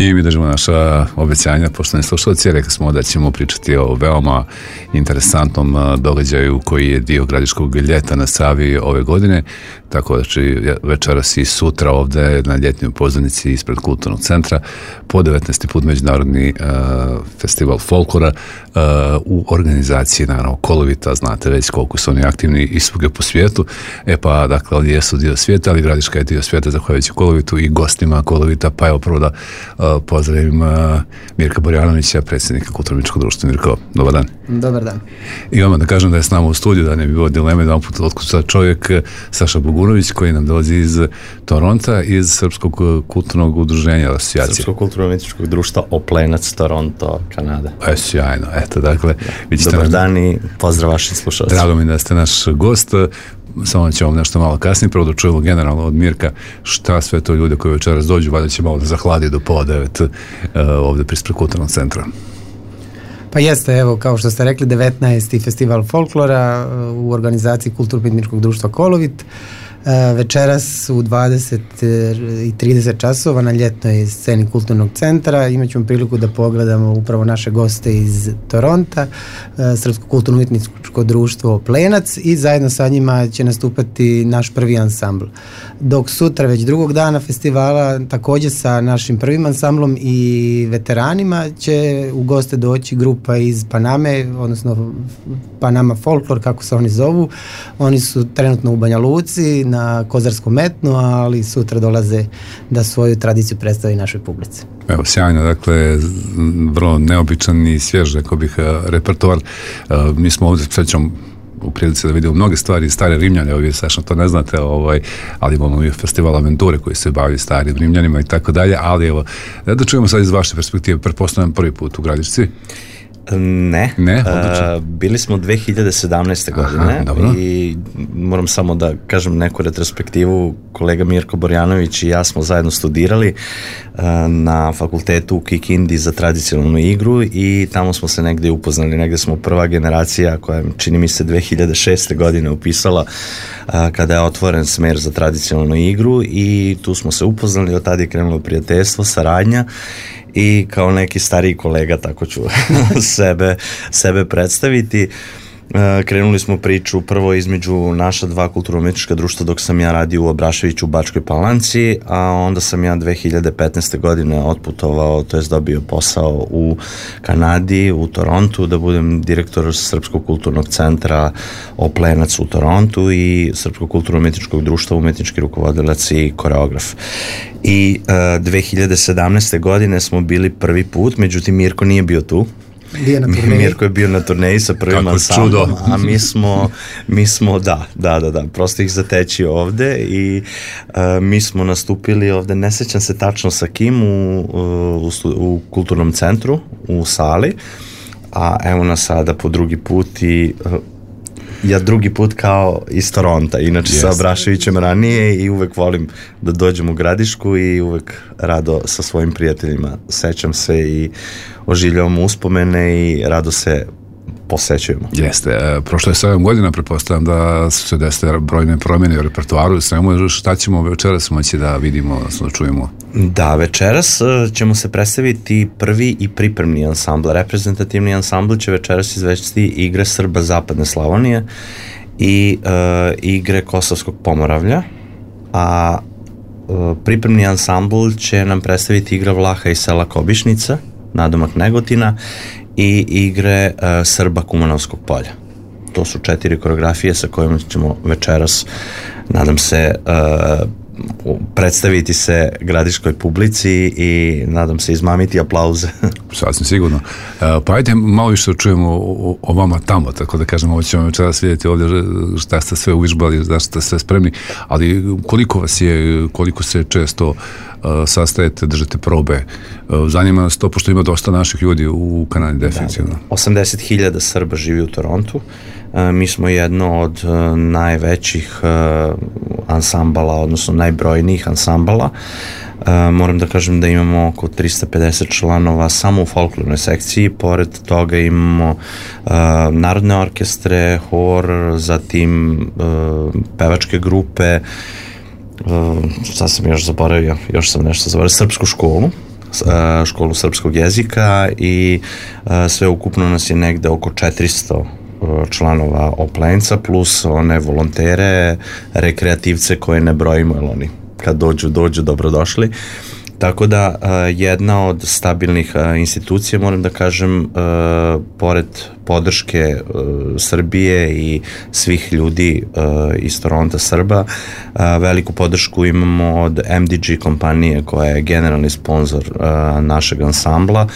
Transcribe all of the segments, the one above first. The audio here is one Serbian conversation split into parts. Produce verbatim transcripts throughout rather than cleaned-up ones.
I mi držimo naša obećanja, poštovani slušalci, rekli smo da ćemo pričati o veoma interesantnom događaju koji je dio Gradiškog ljeta na Savi ove godine, tako da će večeras i sutra ovde na ljetnjoj pozornici ispred Kulturnog centra po devetnaesti put međunarodni uh, festival folklora uh, u organizaciji, naravno, Kolovita, znate već koliko su oni aktivni i svugdje po svijetu. E pa, dakle, oni jesu dio svijeta, ali Gradiška je dio svijeta zahvaljujući Kolovitu i gostima Kolovita, pa evo prvo da uh, pozdravim uh, Mirka Borjanovića, predsjednika Kulturno-umjetničkog društva. Mirko, dobar dan. Dobar dan. I vama da kažem da je s nama u studiju, da ne bi bilo dileme, da vam put otkuca čovjek Saša Bogunović, koji nam dolazi iz Toronta, iz Srpskog kulturnog udruženja, asocijacije. Srpskog kulturno-umjetničkog društva Oplenac, Toronto, Kanada. E, sjajno, eto, dakle... Dobar dan i pozdrav vašim slušalcima. Drago mi da ste naš gost. Samo ćemo nešto malo kasnije, prvo da čujemo generalno od Mirka šta sve to ljude koji večeras dođu, valjda će malo da zahladi do pola devet uh, ovde prispred Kulturnog centra. Pa jeste, evo, kao što ste rekli, devetnaesti festival folklora u organizaciji Kulturno-umjetničkog društva Kolovit. Večeras u dvadeset i trideset časova na ljetnoj sceni Kulturnog centra imat ćemo priliku da pogledamo upravo naše goste iz Toronta, Srpsko kulturno-umjetničko društvo Oplenac, i zajedno sa njima će nastupati naš prvi ansambl. Dok sutra, već drugog dana festivala, također sa našim prvim ansamblom i veteranima, će u goste doći grupa iz Paname, odnosno Panama Folklor, kako se oni zovu. Oni su trenutno u Banja Luci na Kozarskom metnu, ali sutra dolaze da svoju tradiciju predstavi našoj publici. Evo, sjajno, dakle, vrlo neobičan i svjež, rekao bih, repertoar. Mi smo ovdje srećom u prilici da vidimo mnoge stvari stare Rimljane, ovdje Saša to ne znate, ovaj, ali imamo i festival Aventure koji se bavi starim Rimljanima i tako dalje, ali evo, da čujemo sad iz vaše perspektive, pretpostavljam prvi put u Gradišci. Ne, ne uh, bili smo dve hiljade sedamnaeste. godine. Aha, i moram samo da kažem neku retrospektivu. Kolega Mirko Borjanović i ja smo zajedno studirali uh, na fakultetu u Kikindi za tradicionalnu igru i tamo smo se negde upoznali, negde smo prva generacija koja, čini mi se, dve hiljade šeste. godine upisala uh, kada je otvoren smer za tradicionalnu igru i tu smo se upoznali, od tada je krenulo prijateljstvo, saradnja. I kao neki stariji kolega, tako ću sebe, sebe predstaviti. Krenuli smo priču prvo između naša dva kulturno-umjetnička društva dok sam ja radio u Abraševiću u Bačkoj Palanci, a onda sam ja dve hiljade petnaeste. godine otputovao, to jest dobio posao u Kanadi, u Torontu, da budem direktor Srpskog kulturnog centra Oplenac u Torontu i Srpskog kulturno-umjetničkog društva, umjetnički rukovodilac i koreograf. I uh, dve hiljade sedamnaeste. godine smo bili prvi put, međutim Mirko nije bio tu. Mirko je bio na turneji sa prvim ansamblom, a mi smo, mi smo, da, da, da, da, prosto ih zateći ovde i uh, mi smo nastupili ovde, ne sećam se tačno sa kim, u, u, u Kulturnom centru, u sali, a evo nas sada po drugi put i uh, ja drugi put kao iz Toronta, inače yes. sa Abraševićem ranije i uvek volim da dođem u Gradišku i uvek rado sa svojim prijateljima sećam se i oživljavam uspomene i rado se posećujemo. Jeste, e, prošlo je sedam godina, pretpostavljam da su se desile brojne promjene u repertoaru, svemu, šta ćemo večeras moći da vidimo, odnosno da čujemo? Da, večeras ćemo se predstaviti prvi i pripremni ansambl. Reprezentativni ansambl će večeras izvesti igre Srba Zapadne Slavonije i e, igre Kosovskog Pomoravlja, a e, pripremni ansambl će nam predstaviti igra Vlaha iz sela Kobišnica, nadomak Negotina, i igre uh, Srba Kumanovskog polja. To su četiri koreografije sa kojima ćemo večeras, nadam se, uh, predstaviti se gradiškoj publici i nadam se izmamiti aplauze. Sasvim sigurno. Uh, pa ajde malo više čujemo o, o vama tamo, tako da kažemo, ovo ćemo večeras vidjeti ovdje šta ste sve uvižbali, šta ste sve spremni, ali koliko vas je, koliko se često uh, sastajete, držite probe. Uh, zanima nas to, pošto ima dosta naših ljudi u Kanadi, definitivno. Da, osamdeset hiljada Srba živi u Torontu. Uh, mi smo jedno od uh, najvećih uh, ansambala, odnosno najbrojnijih ansambala. Uh, moram da kažem da imamo oko tristo pedeset članova samo u folklornoj sekciji, pored toga imamo uh, narodne orkestre, hor, zatim uh, pevačke grupe, uh, sad sam još zaboravio, još sam nešto zaboravio, srpsku školu školu srpskog jezika i sve ukupno nas je negde oko četiristo članova Oplenca, plus one volontere, rekreativce koje ne brojimo, jer oni kad dođu, dođu, dobrodošli. Tako da jedna od stabilnih institucija, moram da kažem, pored podrške Srbije i svih ljudi iz Toronta Srba, veliku podršku imamo od M D G kompanije koja je generalni sponsor našeg ansambla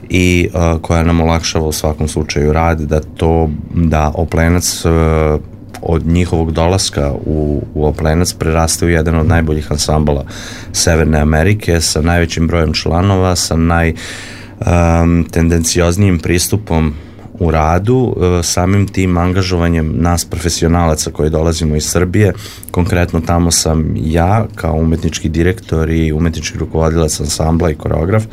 i koja nam olakšava u svakom slučaju rad da to, da Oplenac od njihovog dolaska u, u Oplenac preraste u jedan od najboljih ansambala Severne Amerike sa najvećim brojem članova, sa najtendencioznijim pristupom u radu, samim tim angažovanjem nas profesionalaca koji dolazimo iz Srbije. Konkretno tamo sam ja kao umetnički direktor i umetnički rukovodilac ansambla i koreograf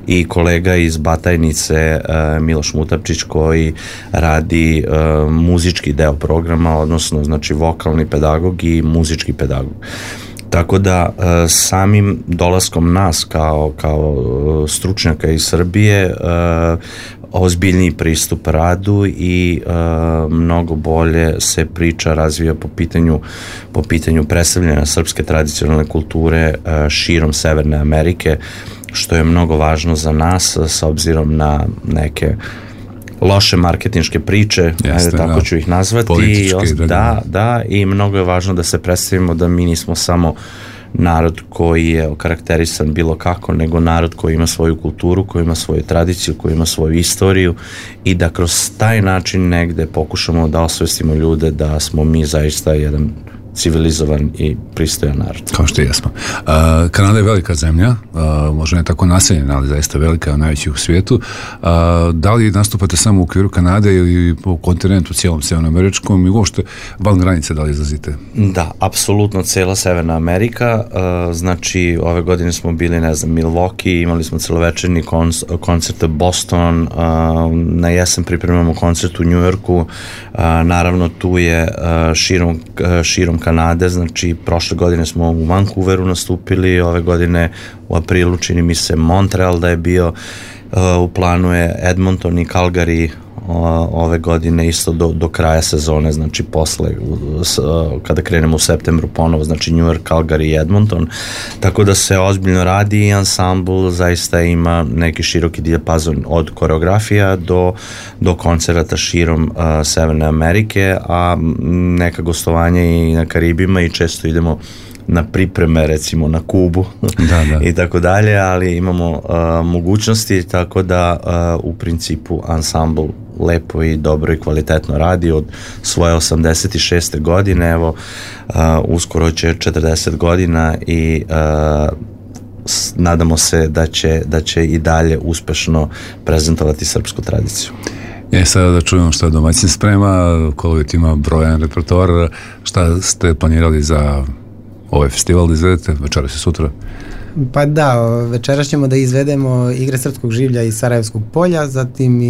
i kolega iz Batajnice Miloš Mutapčić koji radi muzički deo programa, odnosno znači vokalni pedagog i muzički pedagog. Tako da samim dolaskom nas kao, kao stručnjaka iz Srbije ozbiljniji pristup radu i uh, mnogo bolje se priča razvija po pitanju, po pitanju predstavljanja srpske tradicionalne kulture uh, širom Severne Amerike, što je mnogo važno za nas s obzirom na neke loše marketinške priče, Jeste, ajde, tako da. ću ih nazvati. Da, da, da, i mnogo je važno da se predstavimo da mi nismo samo narod koji je okarakterisan bilo kako, nego narod koji ima svoju kulturu, koji ima svoju tradiciju, koji ima svoju istoriju i da kroz taj način negde pokušamo da osvestimo ljude da smo mi zaista jedan civilizovan i pristojan narod. Kao što jesmo. Uh, Kanada je velika zemlja, uh, možda ne tako naseljena, ali zaista velika, najveća u svijetu. Uh, da li nastupate samo u okviru Kanade ili po kontinentu cijelom severnoameričkom i uopšte van granice da li izlazite? Da, apsolutno cijela Severna Amerika. Uh, znači, ove godine smo bili, ne znam, Milwaukee, imali smo celovečerni konc- koncert Boston, uh, na jesen pripremamo koncert u New Yorku, uh, naravno tu je uh, širom, uh, širom Kanade, znači prošle godine smo u Vancouveru nastupili, ove godine u aprilu čini mi se Montreal da je bio, uh, u planu je Edmonton i Calgary uh, ove godine isto do, do kraja sezone, znači posle uh, kada krenemo u septembru ponovo, znači New York, Calgary i Edmonton, tako da se ozbiljno radi i ansambl zaista ima neki široki dijapazon od koreografija do, do koncerata širom uh, Severne Amerike, a neka gostovanja i na Karibima i često idemo na pripreme, recimo na Kubu da, da. i tako dalje, ali imamo uh, mogućnosti, tako da uh, u principu ansambl lepo i dobro i kvalitetno radi od svoje osamdeset šeste godine, evo uh, uskoro će četrdeset godina i uh, s, nadamo se da će, da će i dalje uspešno prezentovati srpsku tradiciju. E, sada da čujemo šta domaćin sprema, Kolovit ima brojan repertoar, šta ste planirali za ovaj festival da izvedete, večeras i sutra? Pa da, večeras ćemo da izvedemo igre srpskog življa iz Sarajevskog polja, zatim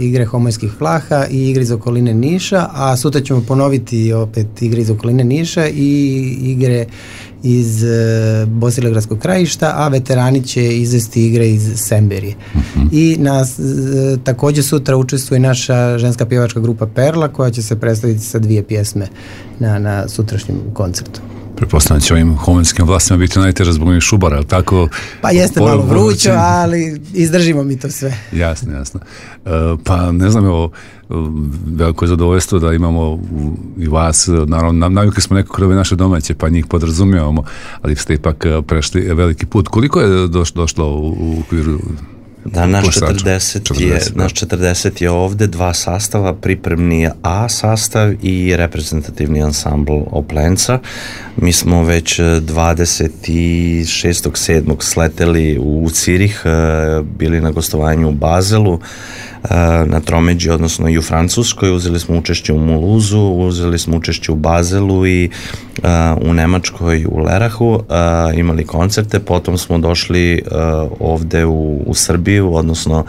igre homojskih flaha i igre iz okoline Niša, a sutra ćemo ponoviti opet igre iz okoline Niša i igre iz Bosilegradskog krajišta, a veterani će izvesti igre iz Semberije. Uh-huh. I nas, također sutra učestvuje naša ženska pjevačka grupa Perla koja će se predstaviti sa dvije pjesme na, na sutrašnjem koncertu. Pretpostavljam će ovim homenskim vlastima biti najteže zbog ovih šubara, ali tako? Pa jeste malo vrućo, ali izdržimo mi to sve. Jasno, jasno. Uh, pa ne znam, evo, veliko je zadovoljstvo da imamo u, i vas, naravno, navikli smo nekako ove naše domaće, pa njih podrazumijevamo, ali ste ipak prešli veliki put. Koliko je doš, došlo u, u okviru? Da, naš četrdeset, četrdeset, je, naš četrdeset je ovde, dva sastava, pripremni A sastav i reprezentativni ansambl Oplenca. Mi smo već dvadeset šestog sedmog sleteli u Cirih, bili na gostovanju u Bazelu, na tromeđi, odnosno i u Francuskoj, uzeli smo učešće u Muluzu, uzeli smo učešće u Bazelu i uh, u Nemačkoj u Lerahu, uh, imali koncerte, potom smo došli uh, ovde u, u Srbiju, odnosno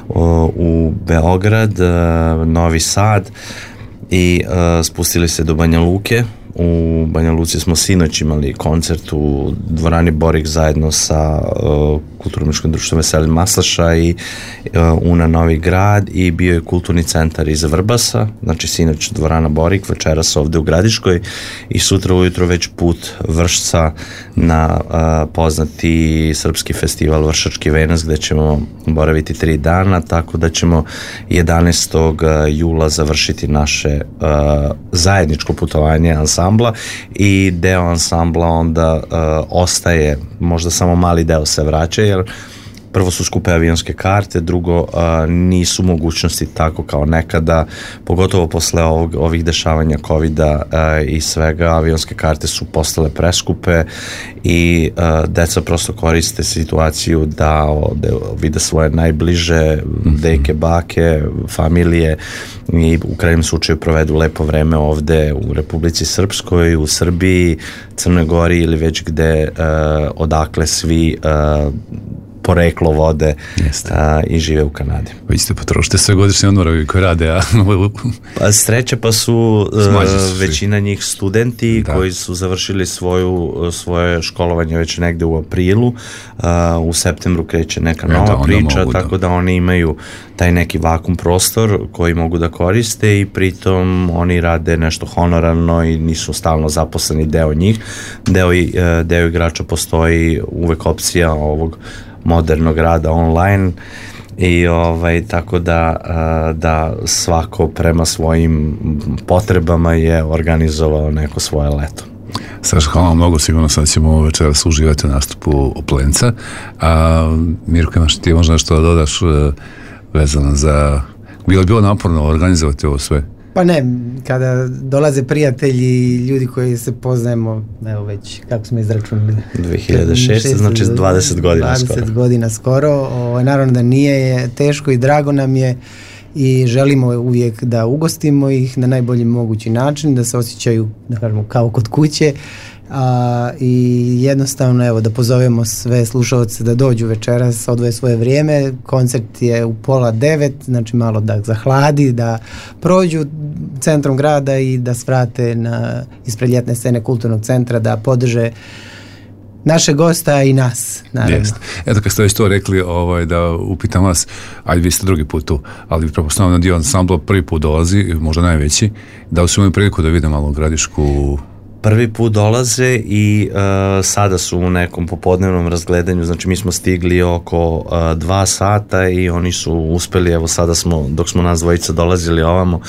uh, u Beograd, uh, Novi Sad i uh, spustili se do Banja Luke u Banja Luci smo sinoć imali koncert u dvorani Borik zajedno sa uh, Kulturno-umetničkim društvom Veselin Maslaša i uh, Una Novi Grad, i bio je kulturni centar iz Vrbasa, znači sinoć dvorana Borik, večeras ovde u Gradiškoj i sutra ujutro već put Vršca na uh, poznati srpski festival Vršački venac, gde ćemo boraviti tri dana, tako da ćemo jedanaestog jula završiti naše uh, zajedničko putovanje ansambla, i deo ansambla onda uh, ostaje, možda samo mali deo se vraća, jer prvo su skupe avionske karte, drugo uh, nisu mogućnosti tako kao nekada, pogotovo posle ovog, ovih dešavanja covida uh, i svega, avionske karte su postale preskupe i uh, deca prosto koriste situaciju da ovde vide svoje najbliže, mm-hmm. deke, bake, familije, i u krajnjem slučaju provedu lepo vreme ovde u Republici Srpskoj, u Srbiji, Crnoj Gori ili već gde uh, odakle svi uh, poreklo vode a, i žive u Kanadi. Vi ste potrošite sve godišnje odmore koji rade, a... pa sreće pa su uh, većina njih studenti da. koji su završili svoju, svoje školovanje već negde u aprilu, uh, u septembru kreće neka nova da, priča, mogu, tako da. da oni imaju taj neki vakum prostor koji mogu da koriste i pritom oni rade nešto honorarno i nisu stalno zaposleni deo njih. Deo, deo igrača postoji uvek opcija ovog modernog rada online i ovaj, tako da, da svako prema svojim potrebama je organizovao neko svoje leto. Saša, hvala vam mnogo, sigurno sad ćemo večeras uživati u nastupu Oplenca. A Mirko, imaš ti možda nešto da dodaš vezano za... Bilo je bilo naporno organizovati ovo sve? Pa ne, kada dolaze prijatelji i ljudi koji se poznajemo, evo već, kako smo izračunali? dve hiljade šeste. znači dvadeset godina dvadeset skoro. dvadeset godina skoro. O, naravno da nije je teško i drago nam je i želimo uvijek da ugostimo ih na najbolji mogući način, da se osjećaju, da kažemo, kao kod kuće. A, i jednostavno evo da pozovemo sve slušalce da dođu večeras, odvoje svoje vrijeme. Koncert je u pola devet, znači malo da zahladi, da prođu centrom grada i da svrate na ispred ljetne scene kulturnog centra, da podrže naše gosta i nas, naravno. Jest. Eto, kad ste već to rekli, ovaj, da upitam vas, ajde vi ste drugi put tu, ali vi prepostavljamo da dio ansambla prvi put dolazi, možda najveći, da li su imali priliku da vide malo Gradišku? Prvi put dolaze i uh, sada su u nekom popodnevnom razgledanju, znači mi smo stigli oko uh, dva sata i oni su uspeli, evo sada smo, dok smo nas dvojica dolazili ovamo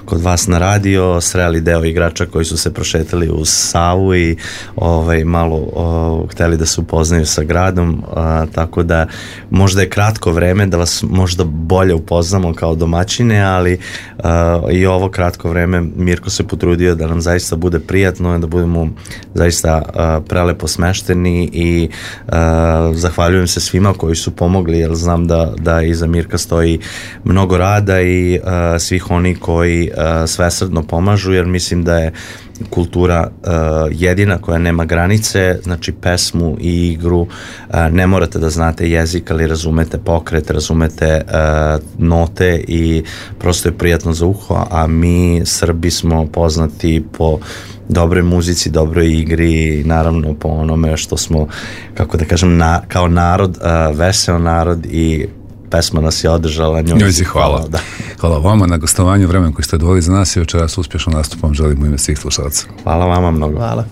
kod vas na radio, sreli deo igrača koji su se prošetali uz Savu i ovaj, malo uh, hteli da se upoznaju sa gradom, uh, tako da možda je kratko vreme da vas možda bolje upoznamo kao domaćine, ali uh, i ovo kratko vreme Mirko se potrudio da nam zaista bude prijatno, da budemo zaista uh, prelepo smešteni i uh, zahvaljujem se svima koji su pomogli, jer znam da, da iza Mirka stoji mnogo rada i uh, svih oni koji uh, svesrdno pomažu, jer mislim da je kultura uh, jedina koja nema granice, znači pesmu i igru, uh, ne morate da znate jezik, ali razumete pokret, razumete uh, note i prosto je prijatno za uho, a mi Srbi smo poznati po dobroj muzici, dobroj igri i naravno po onome što smo, kako da kažem, na, kao narod, uh, veseo narod i pesma nas je održala. Njoj, njoj si hvala. Hvala, da. Hvala vama na gostovanju, vremen koji ste odvojili za nas i večeras uspješno nastupom želimo ime svih slušalaca. Hvala vama mnogo. Hvala.